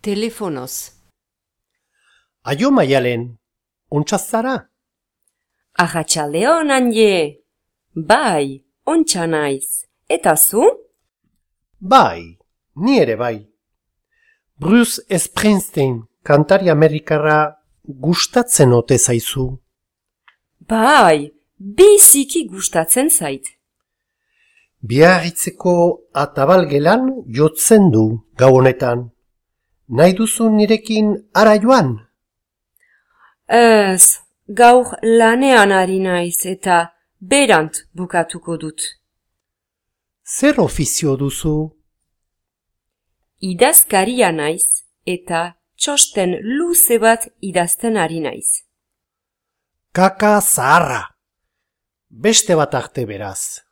Telefonoz. Aio Maialen, ontsa zara? Arratsaldeon, Anje. Bai, ontsa naiz. Eta zu? Bai, ni ere bai. Bruce Springsteen, kantari amerikarra, gustatzen ote zaizu? Bai, biziki gustatzen zait. Biarritzeko atabalgelan jotzen du gau honetan. Nahi duzu nirekin ara joan? Ez, gaur lanean ari naiz eta berant bukatuko dut. Zer ofizio duzu? Idazkaria naiz eta txosten luze bat idazten ari naiz. Kaka zaharra. Beste bat arte beraz.